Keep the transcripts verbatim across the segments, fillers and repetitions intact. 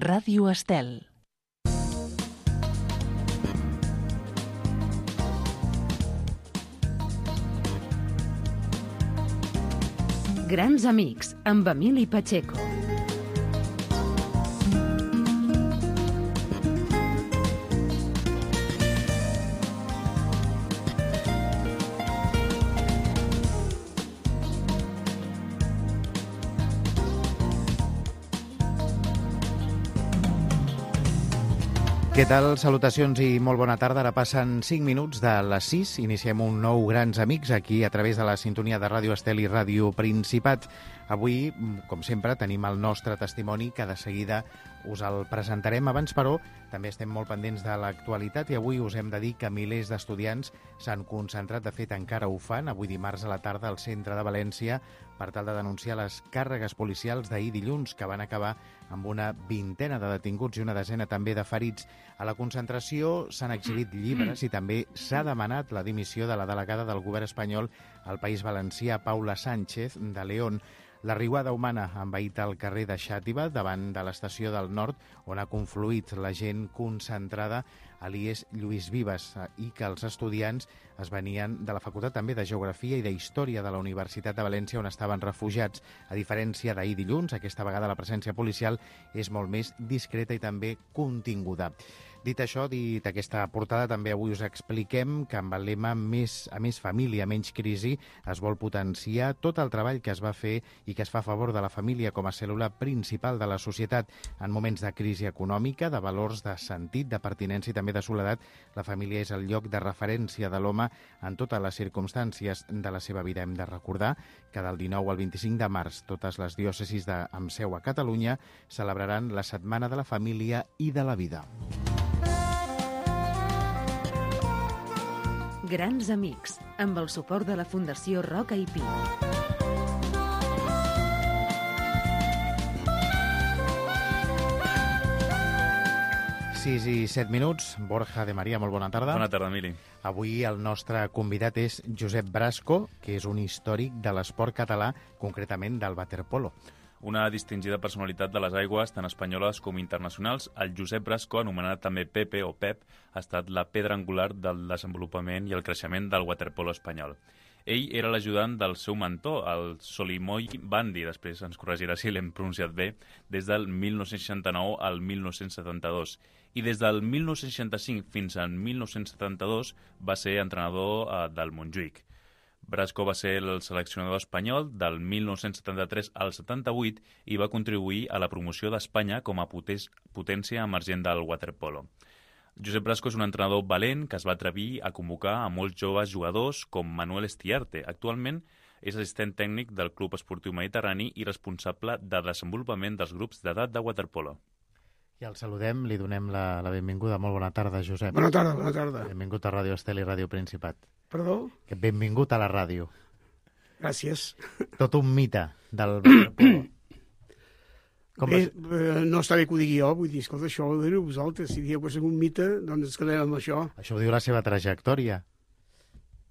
Ràdio Estel. Grans amics, amb Emili Pacheco. Què tal? Salutacions i molt bona tarda. Ara passen cinc minuts de les sis. Iniciem un nou Grans Amics aquí a través de la sintonia de Ràdio Estel i Ràdio Principat. Avui, com sempre, tenim el nostre testimoni que de seguida us el presentarem. Abans, però, també estem molt pendents de l'actualitat i avui us hem de dir que milers d'estudiants s'han concentrat, de fet encara ho fan, avui dimarts a la tarda al centre de València per tal de denunciar les càrregues policials d'ahir dilluns que van acabar amb una vintena de detinguts i una desena també de ferits. A la concentració s'han exhibit llibres i també s'ha demanat la dimissió de la delegada del govern espanyol al País Valencià, Paula Sánchez de León. La riuada humana ha envaït el carrer de Xàtiva davant de l'estació del Nord, on ha confluït la gent concentrada a l'I E S Lluís Vives i que els estudiants es venien de la Facultat també de Geografia i de Història de la Universitat de València, on estaven refugiats. A diferència d'ahir dilluns, aquesta vegada la presència policial és molt més discreta i també continguda. Dit això, dit aquesta portada, també avui us expliquem que amb el lema més, a més família, menys crisi, es vol potenciar tot el treball que es va fer i que es fa a favor de la família com a cèl·lula principal de la societat. En moments de crisi econòmica, de valors, de sentit, de pertinença i també de soledat, la família és el lloc de referència de l'home en totes les circumstàncies de la seva vida. Hem de recordar que del dinou al vint-i-cinc de març totes les diòcesis de, amb seu a Catalunya celebraran la Setmana de la Família i de la Vida. Grans Amics, amb el suport de la Fundació Roca i Pi. sis i set minuts. Borja de Maria, molt bona tarda. Bona tarda, Emili. Avui el nostre convidat és Josep Brasco, que és un històric de l'esport català, concretament del waterpolo. Una distingida personalitat de les aigües, tant espanyoles com internacionals, el Josep Brasco, anomenat també Pepe o Pep, ha estat la pedra angular del desenvolupament i el creixement del waterpolo espanyol. Ell era l'ajudant del seu mentor, el Solimoy Bandi, després ens corregirà si l'hem pronunciat bé, des del mil nou-cents seixanta-nou al mil nou-cents setanta-dos. I des del mil nou-cents seixanta-cinc fins al mil nou-cents setanta-dos va ser entrenador eh, del Montjuïc. Brasco va ser el seleccionador espanyol del mil nou-cents setanta-tres al setanta-vuit i va contribuir a la promoció d'Espanya com a potència emergent del waterpolo. Josep Brasco és un entrenador valent que es va atrevir a convocar a molts joves jugadors com Manuel Estiarte. Actualment és assistent tècnic del Club Esportiu Mediterrani i responsable de desenvolupament dels grups d'edat de waterpolo. I el saludem, li donem la, la benvinguda. Molt bona tarda, Josep. Bona tarda, bona tarda. Benvingut a Ràdio Estel i Ràdio Principat. Perdó? Que benvingut a la ràdio. Gràcies. Tot un mite del waterpolo. Com Bé, vas... eh, no està bé que ho digui jo, vull dir, escolta, això ho diu vosaltres. Si dieu que és un mite, doncs ens quedem amb això. Això ho diu la seva trajectòria.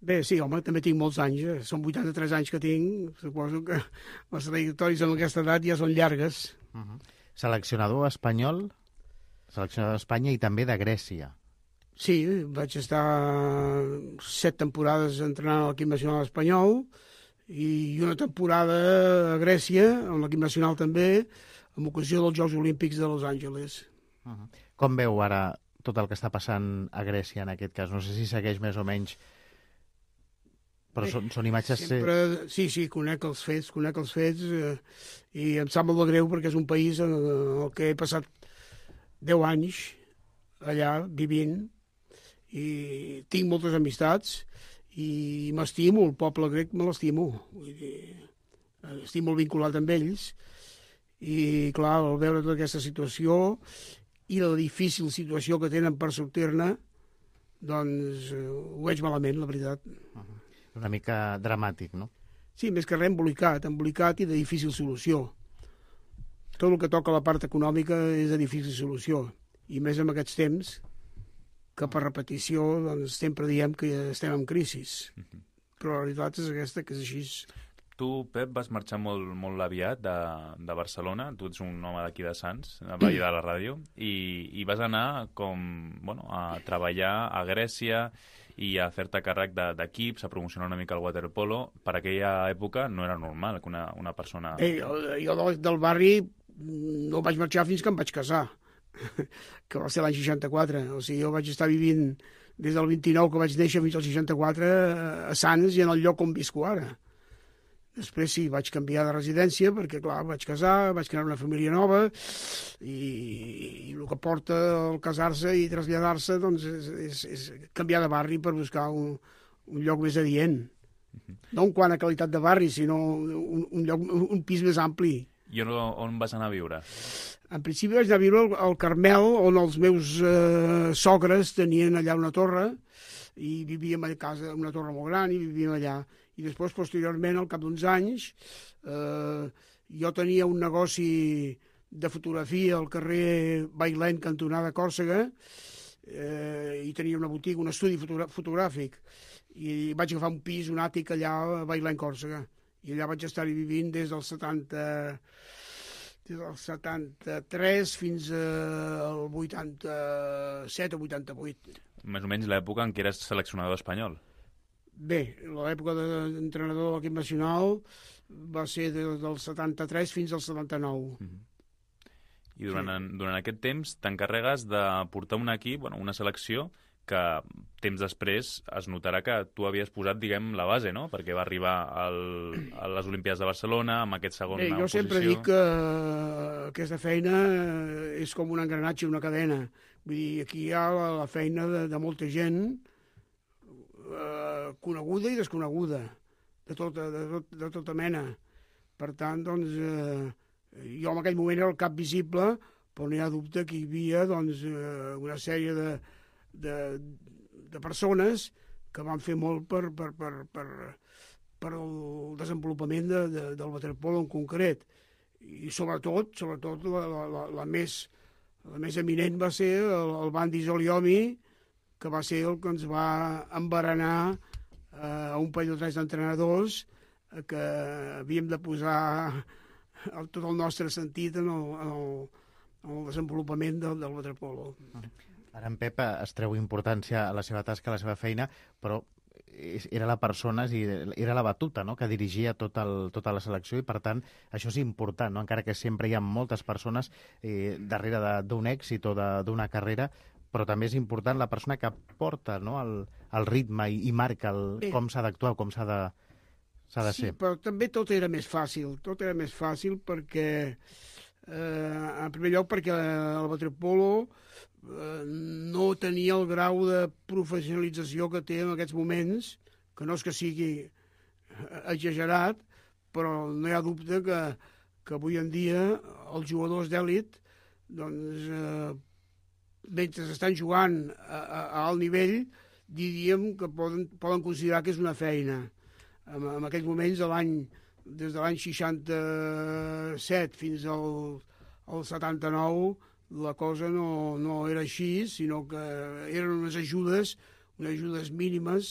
Bé, sí, home, també tinc molts anys, eh? Són vuitanta-tres anys que tinc, suposo que les trajectòries amb aquesta edat ja són llargues. Uh -huh. Seleccionador espanyol, seleccionador d'Espanya i també de Grècia. Sí, vaig estar set temporades entrenant a l'equip nacional espanyol i una temporada a Grècia, amb l'equip nacional també, en ocasió dels Jocs Olímpics de Los Angeles. Uh -huh. Com veu ara tot el que està passant a Grècia en aquest cas? No sé si segueix més o menys, però Bé, són, són imatges... Sempre, sí, sí, conec els fets, conec els fets eh, i em sap molt de greu perquè és un país en el que he passat deu anys allà vivint i tinc moltes amistats i m'estimo, el poble grec me l'estimo. Vull dir, estic molt vinculat amb ells i, clar, al veure tota aquesta situació i la difícil situació que tenen per sortir-ne, doncs eh, ho veig malament, la veritat. Uh-huh. Una mica dramàtic, no? Sí, més que res embolicat, embolicat i de difícil solució. Tot el que toca la part econòmica és de difícil solució. I més en aquests temps, que per repetició doncs, sempre diem que estem en crisi. Però la realitat és aquesta, que és així. tu, Pep, vas marxar molt, molt aviat de, de Barcelona, tu ets un home d'aquí de Sants, veí de la ràdio, i, i vas anar com, bueno, a treballar a Grècia i a fer-te càrrec d'equips, a promocionar una mica el waterpolo. Per aquella època no era normal que una, una persona... Bé, jo, jo del, del barri no vaig marxar fins que em vaig casar, que va ser l'any seixanta-quatre. O sigui, jo vaig estar vivint des del vint-i-nou que vaig néixer fins al seixanta-quatre a Sants i en el lloc on visco ara. Després sí, vaig canviar de residència perquè, clar, vaig casar, vaig crear una família nova i, i el que porta el casar-se i traslladar-se doncs, és, és, és canviar de barri per buscar un, un lloc més adient. Uh-huh. No en quant a qualitat de barri, sinó un, un, lloc, un pis més ampli. I on, on vas anar a viure? En principi vaig anar a viure al, al Carmel, on els meus eh, sogres tenien allà una torre i vivíem a casa, una torre molt gran, i vivíem allà. I després, posteriorment, al cap d'uns anys, eh, jo tenia un negoci de fotografia al carrer Bailén, cantonada Còrsega, eh, i tenia una botiga, un estudi fotogràfic. I vaig agafar un pis, un àtic allà a Bailén, Còrsega. I allà vaig estar-hi vivint des del setanta... des del setanta-tres fins al vuitanta-set o vuitanta-vuit. Més o menys l'època en què eres seleccionador espanyol. Bé, l'època d'entrenador de l'equip nacional va ser des del setanta-tres fins al setanta-nou. Mm-hmm. I durant, sí. durant aquest temps t'encarregues de portar un equip, bueno, una selecció, que temps després es notarà que tu havies posat, diguem, la base, no? Perquè va arribar al, a les Olimpíades de Barcelona amb aquest segon Bé, jo posició. sempre dic que aquesta feina és com un engranatge, una cadena. Vull dir, aquí hi ha la, la feina de, de molta gent eh, coneguda i desconeguda, de tota, de, tot, de tota mena. Per tant, doncs, eh, jo en aquell moment era el cap visible, però no hi ha dubte que hi havia doncs, eh, una sèrie de De, de persones que van fer molt per, per, per, per, per el desenvolupament de, de, del waterpolo en concret. I sobretot, sobretot la, la, la, més, la més eminent va ser el, el Bandi Zoliomi, que va ser el que ens va embarenar eh, a un parell o tres d'entrenadors eh, que havíem de posar el, tot el nostre sentit en el, en el, en el desenvolupament del, del waterpolo. Ara en Pep es treu importància a la seva tasca, a la seva feina, però era la persona, era la batuta, no?, que dirigia tot el, tota la selecció i, per tant, això és important, no?, encara que sempre hi ha moltes persones eh, darrere d'un èxit o d'una carrera, però també és important la persona que porta, no?, el, el ritme i, i marca el, com s'ha d'actuar, com s'ha de, s'ha de ser. Sí, però també tot era més fàcil, tot era més fàcil perquè, eh, en primer lloc, perquè el waterpolo no tenia el grau de professionalització que té en aquests moments, que no és que sigui exagerat, però no hi ha dubte que, que avui en dia els jugadors d'èlit, doncs, eh, mentre estan jugant a, a, a alt nivell, diríem que poden, poden considerar que és una feina. En, en aquells moments, l'any des de l'any seixanta-set fins al, al setanta-nou, la cosa no, no era així, sinó que eren unes ajudes, unes ajudes mínimes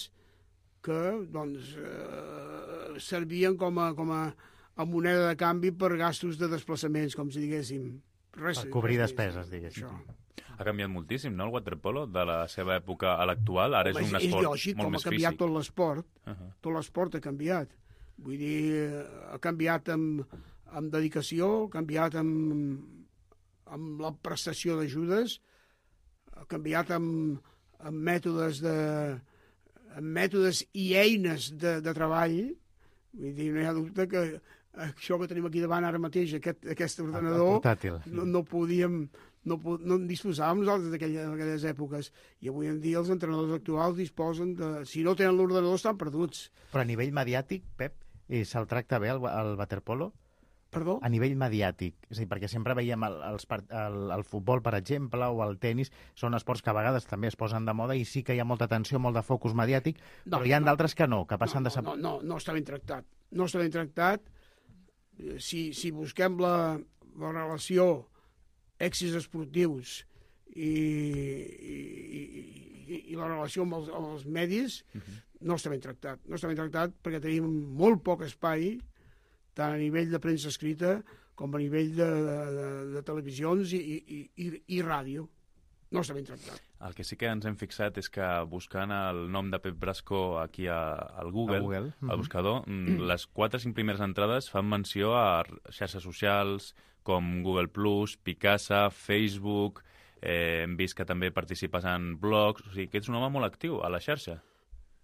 que doncs, eh, servien com a, com a, a moneda de canvi per gastos de desplaçaments, com si diguéssim. Res, per cobrir res, despeses, diguéssim. Això. Ha canviat moltíssim, no?, el waterpolo, de la seva època a l'actual. Ara és un esport és lògic, molt més físic. Com ha canviat tot l'esport. Uh -huh. Tot l'esport ha canviat. Vull dir, ha canviat amb, amb dedicació, ha canviat amb amb la prestació d'ajudes, ha canviat amb, amb mètodes de amb mètodes i eines de, de treball. Vull dir, no hi ha dubte que això que tenim aquí davant ara mateix, aquest, aquest ordenador, portàtil, sí. no, no podíem, no, no en disposàvem nosaltres d'aquelles èpoques. I avui en dia els entrenadors actuals disposen de... Si no tenen l'ordenador, estan perduts. Però a nivell mediàtic, Pep, se'l tracta bé el, el waterpolo? Perdó? A nivell mediàtic, és a dir, perquè sempre veiem el, el, el, el futbol, per exemple, o el tennis, són esports que a vegades també es posen de moda i sí que hi ha molta atenció, molt de focus mediàtic, no, però hi ha no, d'altres que no, que passen no, de... No, no, no està ben tractat. No està ben tractat. Si, si busquem la, la relació èxits esportius i, i, i, i la relació amb els, amb els medis, uh-huh. no està ben tractat. No està ben tractat perquè tenim molt poc espai tant a nivell de premsa escrita com a nivell de, de, de, de televisions i, i, i, i ràdio. No està ben tractat. El que sí que ens hem fixat és que buscant el nom de Pep Brasco aquí a, al Google, a Google. al buscador, mm. les quatre o cinc primeres entrades fan menció a xarxes socials com Google plus, Picasa, Facebook, eh, hem vist que també participes en blogs, o sigui que ets un home molt actiu a la xarxa.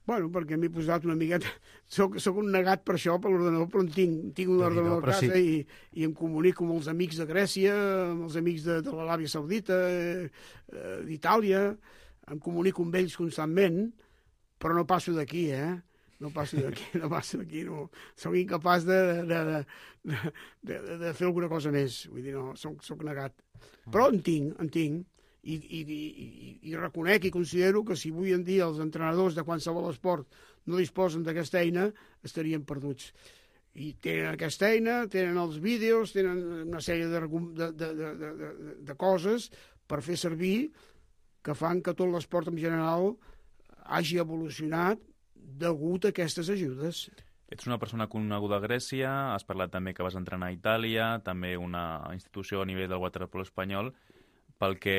Bueno, perquè m'he posat una miqueta... Soc, soc un negat per això, per l'ordenador, però en tinc, tinc un ordenador a casa sí. i, i em comunico amb els amics de Grècia, amb els amics de, de l'Aràbia Saudita, eh, d'Itàlia, em comunico amb ells constantment, però no passo d'aquí, eh? No passo d'aquí, no passo d'aquí, no. Soc incapaç de, de, de, de, de, de fer alguna cosa més, vull dir, no, soc, soc negat. Però en tinc, en tinc. I, i, i, i reconec i considero que si avui en dia els entrenadors de qualsevol esport no disposen d'aquesta eina, estarien perduts. I tenen aquesta eina, tenen els vídeos, tenen una sèrie de, de, de, de, de, de coses per fer servir que fan que tot l'esport en general hagi evolucionat degut a aquestes ajudes. Ets una persona coneguda a Grècia, has parlat també que vas entrenar a Itàlia, també una institució a nivell del waterpolo espanyol. Pel que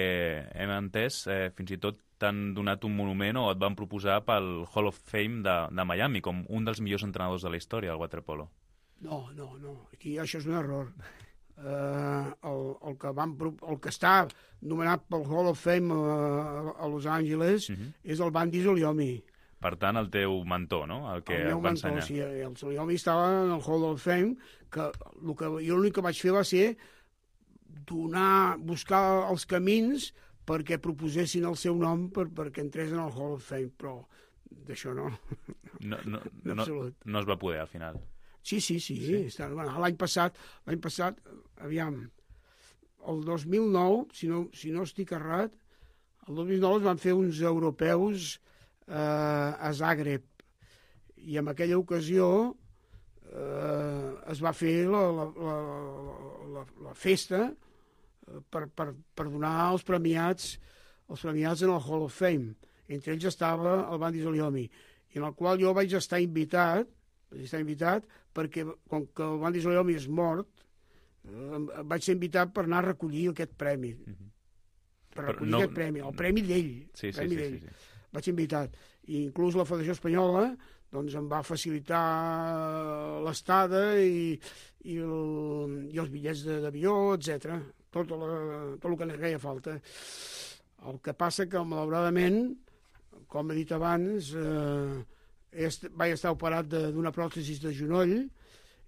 hem entès, eh, fins i tot t'han donat un monument o et van proposar pel Hall of Fame de, de Miami com un dels millors entrenadors de la història del waterpolo. No, no, no. Aquí això és un error. Uh, el, el, que van, el que està nomenat pel Hall of Fame a, a Los Angeles uh-huh. és el Bandi Zuliomi. Per tant, el teu mentor, no? El que el et va mentor, ensenyar. Sí, el Zuliomi estava en el Hall of Fame, que, el que jo l'únic que vaig fer va ser donar, buscar els camins perquè proposessin el seu nom per, perquè entrés en el Hall of Fame, però d'això no. No, no, no, no es va poder, al final. Sí, sí, sí. sí. Està, bueno, l'any passat, l'any passat, aviam, el dos mil nou, si no, si no estic errat, el dos mil nou es van fer uns europeus eh, a Zagreb, i en aquella ocasió eh, es va fer la, la, la, la, la festa Per, per, per donar els premiats els premiats en el Hall of Fame. Entre ells estava el Bandi Zuliomi, en el qual jo vaig estar invitat, vaig estar invitat perquè, com que el Bandi Zuliomi és mort, eh, vaig ser invitat per anar a recollir aquest premi. Mm-hmm. Per recollir no... aquest premi, el premi d'ell. Sí, sí, premi sí, d'ell. sí, sí. Vaig ser invitat. I inclús la Federació Espanyola doncs, em va facilitar l'estada i, i, el, i els bitllets d'avió, etcètera. Tot, la, tot el que ens feia falta. El que passa que, malauradament, com he dit abans, eh, est, vaig estar operat d'una pròtesi de genoll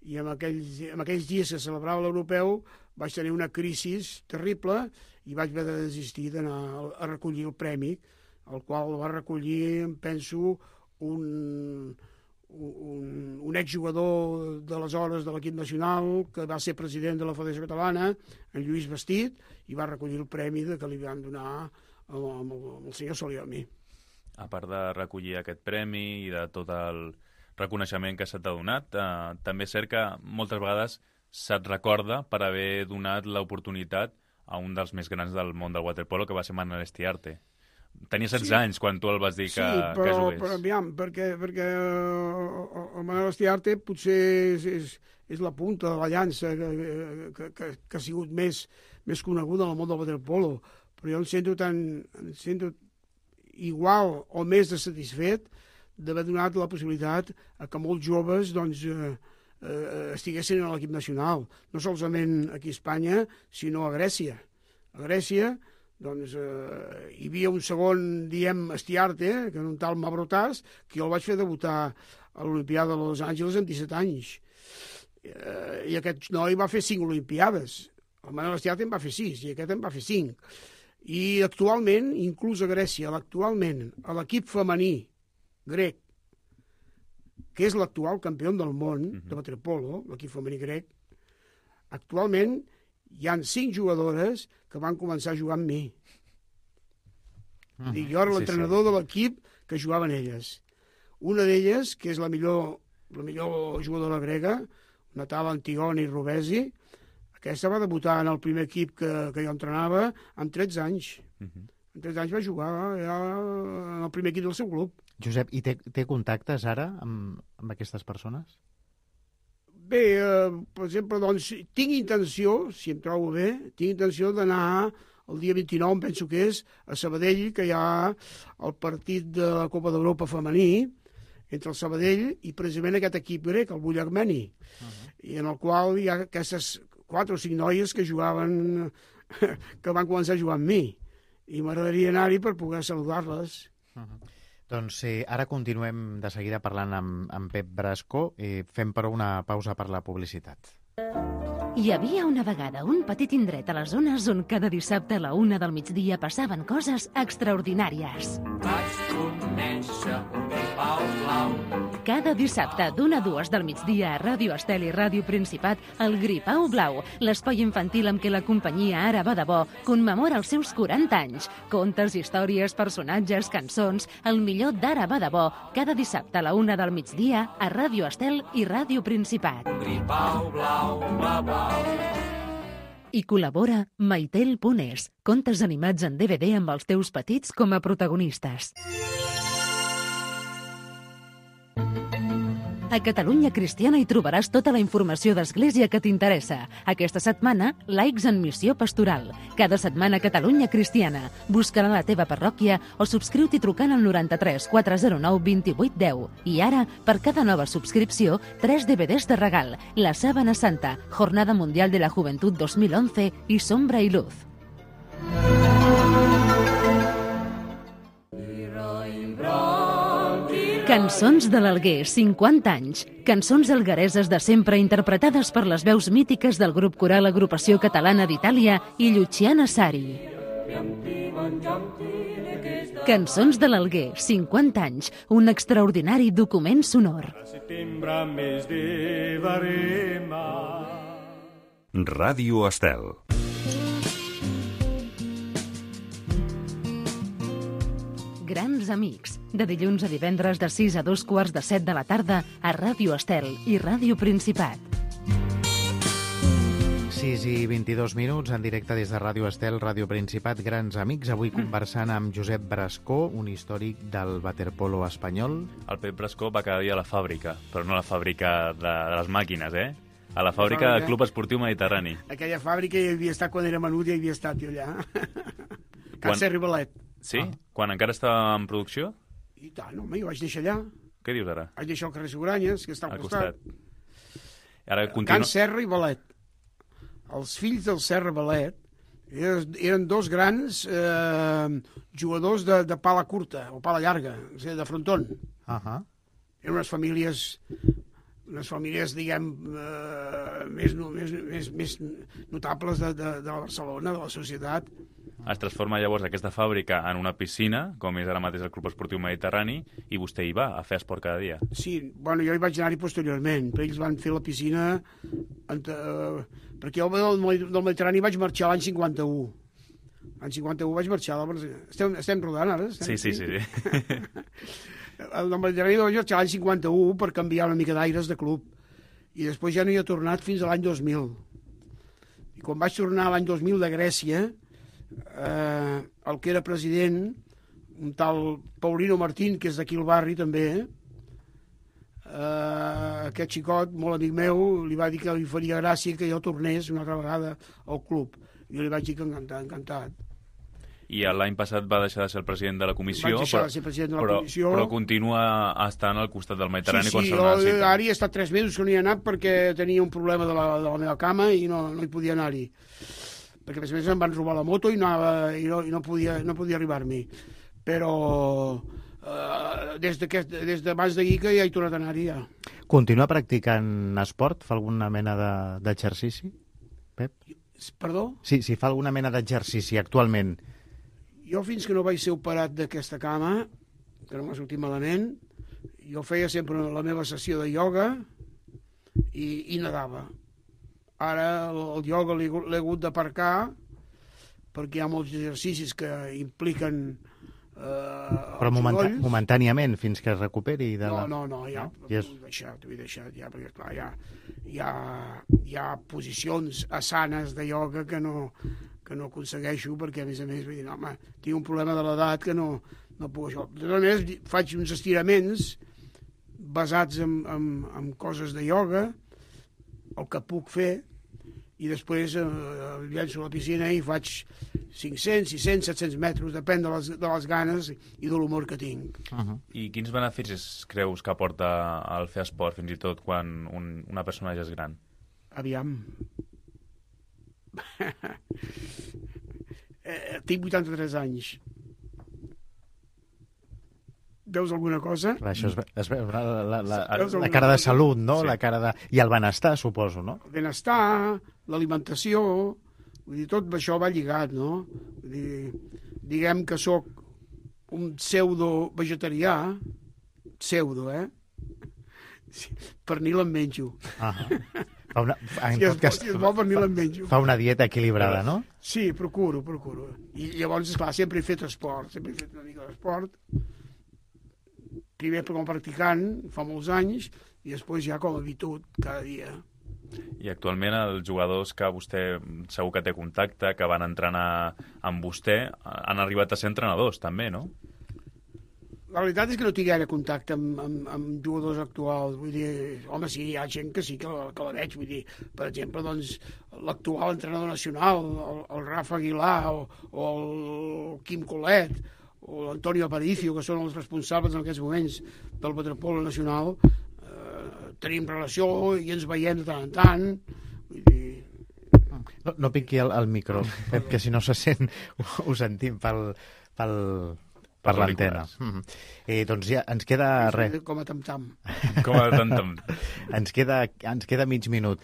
i en aquells, en aquells dies que celebrava l'europeu vaig tenir una crisi terrible i vaig haver de desistir d'anar a recollir el premi, el qual va recollir, em penso, un... un, un exjugador d'aleshores de l'equip nacional que va ser president de la Federació Catalana, en Lluís Bastit, i va recollir el premi que li van donar amb el, amb el senyor Zuliomi. A part de recollir aquest premi i de tot el reconeixement que se t'ha donat, eh, també és cert que moltes vegades se't recorda per haver donat l'oportunitat a un dels més grans del món del waterpolo, que va ser Manel Estiarte. Tenia setze sí. anys quan tu el vas dir que, sí, però, que jugués. Però aviam, perquè, perquè el Manel Estiarte potser és, és, és la punta de la llança que, que, que, que ha sigut més, més coneguda en el món del waterpolo, però jo em sento tan em sento igual o més de satisfet d'haver donat la possibilitat a que molts joves doncs, eh, eh, estiguessin a l'equip nacional, no solament aquí a Espanya, sinó a Grècia. A Grècia doncs eh, hi havia un segon, diem, Estiarte, que era un tal Mavrotas, que jo el vaig fer debutar a l'Olimpiada de Los Angeles amb disset anys. Eh, I aquest noi va fer cinc Olimpiades. El Manel Estiarte en va fer sis, i aquest en va fer cinc. I actualment, inclús a Grècia, actualment, a l'equip femení grec, que és l'actual campió del món uh-huh. de waterpolo, l'equip femení grec, actualment hi han cinc jugadores que van començar a jugar amb mi. Uh-huh. I jo era l'entrenador sí, sí. de l'equip que jugaven elles. Una d'elles, que és la millor, la millor jugadora grega, una tal Antigoni Rovesi, aquesta va debutar en el primer equip que, que jo entrenava amb tretze anys. Uh-huh. Amb tretze anys va jugar ja en el primer equip del seu club. Josep, i té, té contactes ara amb, amb aquestes persones? Bé, eh, per exemple, doncs, tinc intenció, si em trobo bé, tinc intenció d'anar el dia vint-i-nou, em penso que és, a Sabadell, que hi ha el partit de la Copa d'Europa femení, entre el Sabadell i precisament aquest equip grec, el Bull Armeni, uh-huh. i en el qual hi ha aquestes quatre o cinc noies que jugaven, que van començar a jugar amb mi, i m'agradaria anar-hi per poder saludar-les. Uh-huh. Doncs eh, ara continuem de seguida parlant amb, amb Pep Brasco, eh, fem però una pausa per la publicitat. Hi havia una vegada un petit indret a les zones on cada dissabte a la una del migdia passaven coses extraordinàries. Vaig conèixer un gripau blau. Cada dissabte d'una a dues del migdia a Ràdio Estel i Ràdio Principat, el Gripau Blau, l'espai infantil amb què la companyia Ara va de bo commemora els seus quaranta anys. Contes, històries, personatges, cançons, el millor d'Ara va de bo, cada dissabte a la una del migdia a Ràdio Estel i Ràdio Principat. Gripau blau, blau, blau. I col·labora Maitel Punés, contes animats en D V D amb els teus petits com a protagonistes. A Catalunya Cristiana hi trobaràs tota la informació d'Església que t'interessa. Aquesta setmana, Laics en Missió Pastoral. Cada setmana Catalunya Cristiana. Busca-la a la teva parròquia o subscriu-t'hi trucant al noranta-tres quatre zero nou vint-i-vuit deu. I ara, per cada nova subscripció, tres D V Ds de regal. La Sábana Santa, Jornada Mundial de la Juventud dos mil once i Sombra i Luz. Cançons de l'Alguer, cinquanta anys. Cançons alguereses de sempre interpretades per les veus mítiques del grup coral Agrupació Catalana d'Itàlia i Luciana Sari. Cançons de l'Alguer, cinquanta anys. Un extraordinari document sonor. Ràdio Estel. Grans amics, de dilluns a divendres de sis a dos quarts de set de la tarda a Ràdio Estel i Ràdio Principat. sis i vint-i-dos minuts, en directe des de Ràdio Estel, Ràdio Principat, Grans Amics. Avui conversant amb Josep Brasco, un històric del waterpolo espanyol. El Pep Brasco va cada dia a la fàbrica, però no a la fàbrica de, de les màquines, eh? A la fàbrica del Club Esportiu Mediterrani. Aquella fàbrica hi havia estat quan era menut, hi havia estat jo allà. Can Serri Balet. Sí? Ah. Quan encara estava en producció? I tant, home, jo vaig deixar allà. Què dius ara? Vaig deixar el carrer Seguranyes, que està al, al costat. costat. Ara continu... Can Serra i Balet. Els fills del Serra Balet eren, eren dos grans eh, jugadors de, de pala curta, o pala llarga, o sigui, de fronton. Uh -huh. Eren unes famílies... unes famílies, diguem, eh, més, més, més, més notables de, de, de la Barcelona, de la societat. Es transforma llavors aquesta fàbrica en una piscina, com és ara mateix el Club Esportiu Mediterrani, i vostè hi va a fer esport cada dia. Sí, bueno, jo hi vaig anar-hi posteriorment, però ells van fer la piscina... Eh, perquè jo del, del Mediterrani vaig marxar l'any cinquanta-u. L'any cinquanta-u vaig marxar... Estem, estem rodant ara? Estem sí, sí, sí, sí. El del Mediterrani vaig marxar l'any cinquanta-u per canviar una mica d'aires de club. I després ja no hi he tornat fins a l'any dos mil. I quan vaig tornar l'any dos mil de Grècia... Eh, el que era president, un tal Paulino Martín, que és d'aquí al barri també, eh, aquest xicot, molt amic meu, li va dir que li faria gràcia que jo tornés una altra vegada al club. Jo li vaig dir que encantat, encantat. I l'any passat va deixar de ser el president de la comissió, vaig deixar però, de ser president de la però, comissió. però continua estant al costat del Mediterrani sí, quan sí, se necessita. Sí, ara hi he estat tres mesos que no hi he anat perquè tenia un problema de la, de la meva cama i no, no hi podia anar-hi. Perquè a més a més em van robar la moto i, anava, i, no, i no podia, no podia arribar-m'hi. Però eh, des, des d'abans d'ahir que ja he tornat a anar-hi ja. Continua practicant esport? Fa alguna mena d'exercici, Pep? Perdó? Sí, si fa alguna mena d'exercici actualment. Jo fins que no vaig ser operat d'aquesta cama, que no m'ha sortit malament, jo feia sempre la meva sessió de ioga i, i nedava. Ara el ioga l'he hagut d'aparcar perquè hi ha molts exercicis que impliquen eh, Però moment, momentàniament, fins que es recuperi de la... No, no, no, ja t'ho yes. vull deixar, t'ho vull deixar, ja, perquè clar, ja, hi, ha, hi ha posicions asanes de ioga que no, que no aconsegueixo perquè, a més a més, vull dir, no, home, tinc un problema de l'edat que no, no puc això. De totes maneres, faig uns estiraments basats en, en, en coses de ioga, el que puc fer, i després eh, llenço a la piscina i faig cinc-cents, sis-cents, set-cents metres, depèn de les, de les ganes i de l'humor que tinc. Uh -huh. I quins beneficis creus que aporta el fer esport, fins i tot quan un, una persona ja és gran? Aviam. eh, tinc vuitanta-tres anys. Veus alguna cosa? Clar, això es, ve- es veu, la, la, la, Veus la alguna cara de cosa? salut, no? Sí. La cara de... I el benestar, suposo, no? El benestar, l'alimentació, vull dir, tot això va lligat, no? Vull dir, diguem que sóc un pseudo-vegetarià, pseudo, eh? Sí, pernil em menjo. Ah fa una, en Si es, tot cas, si es vol pernil em menjo. fa una dieta equilibrada, no? Sí, procuro, procuro. I llavors, esclar, sempre he fet esport, sempre he fet una mica d'esport. Primer com a practicant, fa molts anys, i després ja com a habitud, cada dia. I actualment els jugadors que vostè segur que té contacte, que van entrenar amb vostè, han arribat a ser entrenadors també, no? La veritat és que no tinc gaire contacte amb, amb, amb jugadors actuals. Vull dir, home, sí, hi ha gent que sí que la, que la veig. Vull dir, per exemple, doncs, l'actual entrenador nacional, el, el Rafa Aguilar o, o el Quim Colet o l'Antonio Aparicio, que són els responsables en aquests moments del waterpolo nacional, eh, tenim relació i ens veiem de tant en tant. Vull dir... No, no piqui el, el micro, Pep, que si no se sent ho, ho sentim pel, pel, per Per l'antena. auriculars. Mm -hmm. eh, doncs ja ens queda res. Com a tam-tam. Com a tant, tant. Ens queda, ens queda mig minut.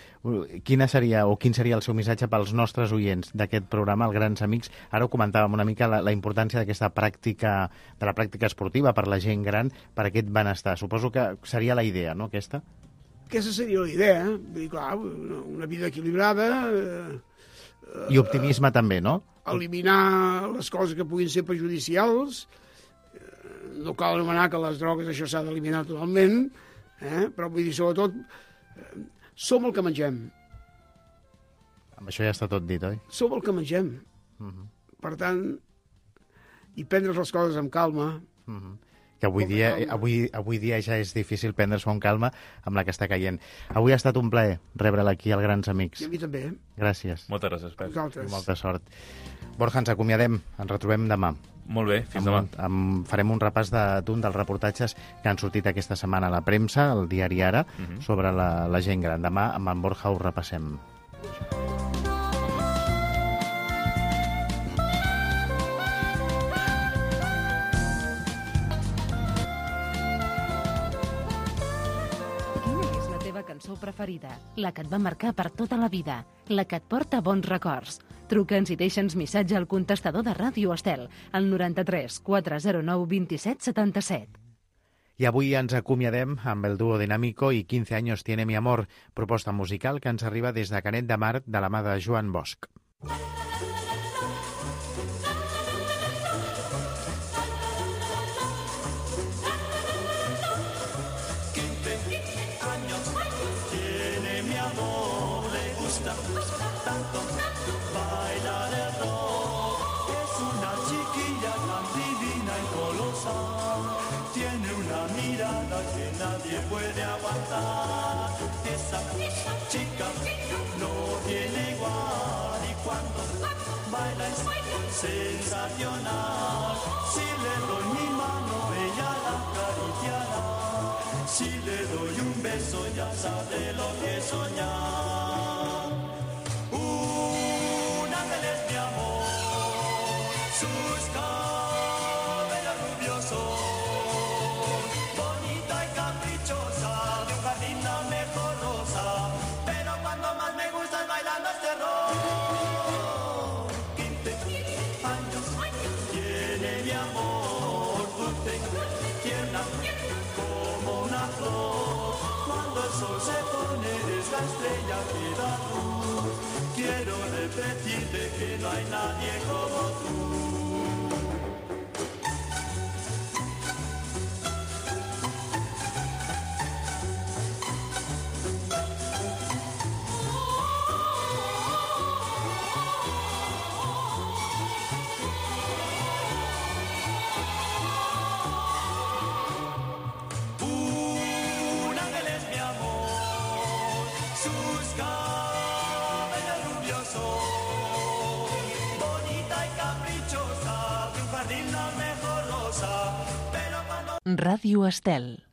Quina seria, o quin seria el seu missatge pels nostres oients d'aquest programa, els Grans Amics? Ara ho comentàvem una mica, la, la importància d'aquesta pràctica, de la pràctica esportiva per la gent gran, per aquest benestar. Suposo que seria la idea, no, aquesta? Aquesta seria la idea. Eh? Vull dir, clar, una, una vida equilibrada, eh, I optimisme també, no? eliminar les coses que puguin ser perjudicials. No cal anomenar que les drogues això s'ha d'eliminar totalment, eh? Però vull dir, sobretot, eh, som el que mengem. Amb això ja està tot dit, oi? Som el que mengem. Uh -huh. Per tant, i prendre les coses amb calma. Uh -huh. Que avui Com dia, calma. avui, avui dia ja és difícil prendre-s'ho amb calma amb la que està caient. Avui ha estat un plaer rebre'l aquí als Grans Amics. I a mi també. Gràcies. Moltes gràcies, Pep. Vosaltres. I molta sort. Borja, ens acomiadem. Ens retrobem demà. Molt bé, fins Amb, demà. un- amb, farem un repàs de- d'un dels reportatges que han sortit aquesta setmana a la premsa, al diari Ara, uh -huh. sobre la, la gent gran. Demà amb en Borja ho repassem. Quina és la teva cançó preferida? La que et va marcar per tota la vida? La que et porta bons records? Truca'ns i deixa'ns missatge al contestador de Ràdio Estel, al noranta-tres quatre zero nou vint set setanta-set. I avui ens acomiadem amb el dúo Dinámico i quince años tiene mi amor, proposta musical que ens arriba des de Canet de Mar de la mà de Joan Bosch. Sensacional, si le doy mi mano ella la acariciará, si le doy un beso ya sabe lo que soñar. Un ángel es mi amor, sus cabellos rubiosos, bonita y caprichosa, de un jardín la mejor rosa, pero cuando más me gusta es bailando este rock. Se pone, es la estrella que da luz. Quiero repetirte que no hay nadie como tú. Un ángel es mi amor, sus jardín la mejor rosa, pero cuando Ràdio Estel.